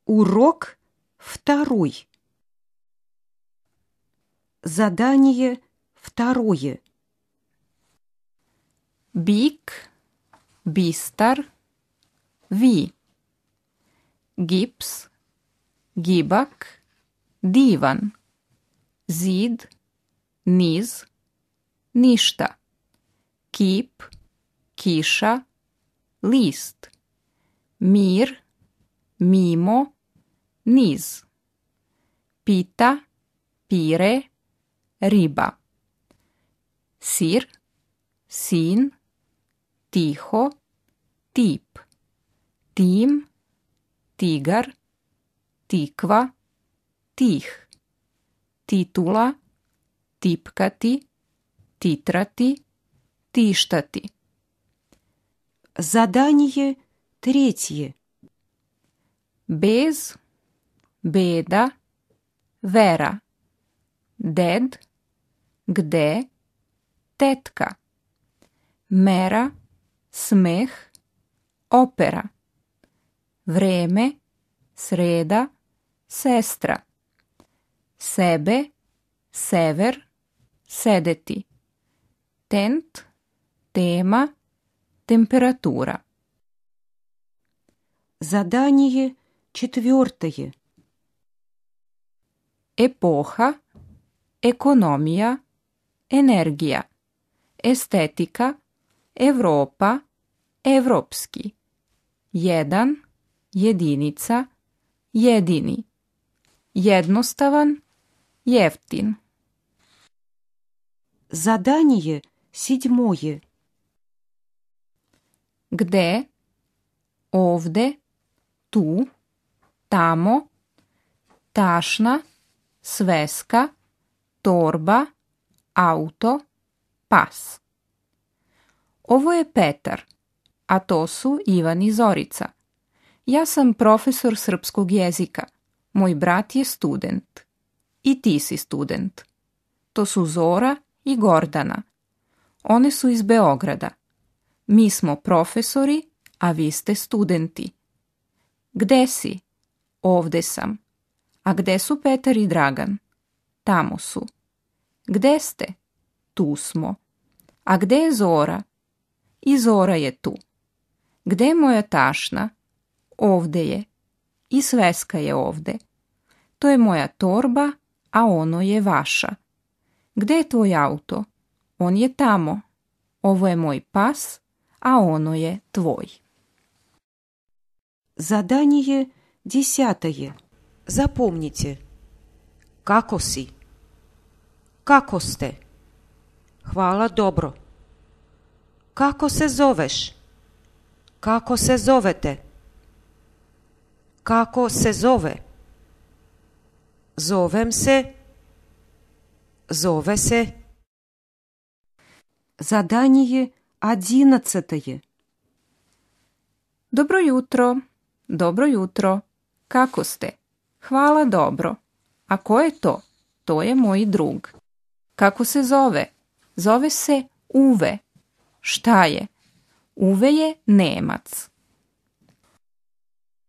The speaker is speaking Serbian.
Урок 2. Задание 2. Bik, bistar, vi. Gips, gibak, divan. Zid, niz, ništa. Kip, kiša, list. Mir, mimo, niz. Pita, pire, riba. Sir, sin, tiho, tip. Tim, tigar, tikva, tih. Titula, tipkati, titrati, tištati. Задание 3. Bez, beda, vera. Ded, gde, tetka. Mera, smeh, opera. Vreme, sreda, sestra. Sebe, sever, sedeti. Tent, tema, temperatura. Задание 4. Epoha, ekonomija, energija. Estetika, Evropa, evropski. Jedan, jedinica, jedini. Jednostavan, jeftin. Задание 7. Gde, ovde, tu, tamo, tašna, sveska, torba, auto, pas. Ovo je Petar, a to su Ivan i Zorica. Ja sam profesor srpskog jezika. Moj brat je student. I ti si student. To su Zora i Gordana. One su iz Beograda. Mi smo profesori, a vi ste studenti. Gde si? Ovde sam. A gde su Petar i Dragan? Tamo su. Gde ste? Tu smo. A gde je Zora? I Zora je tu. Gde je moja tašna? Ovde je. I sveska je ovde. To je moja torba, a ono je vaša. Gde je tvoj auto? On je tamo. Ovo je moj pas, a ono je tvoj. Задание 10. Запомните. Kako si? Kako ste? Hvala, dobro. Kako se zoveš? Kako se zovete? Kako se zove? Zovem se. Zove se. Задание 11. Dobro jutro. Dobro jutro. Kako ste? Hvala, dobro. A ko je to? To je moj drug. Kako se zove? Zove se Uve. Šta je? Uve je Nemac.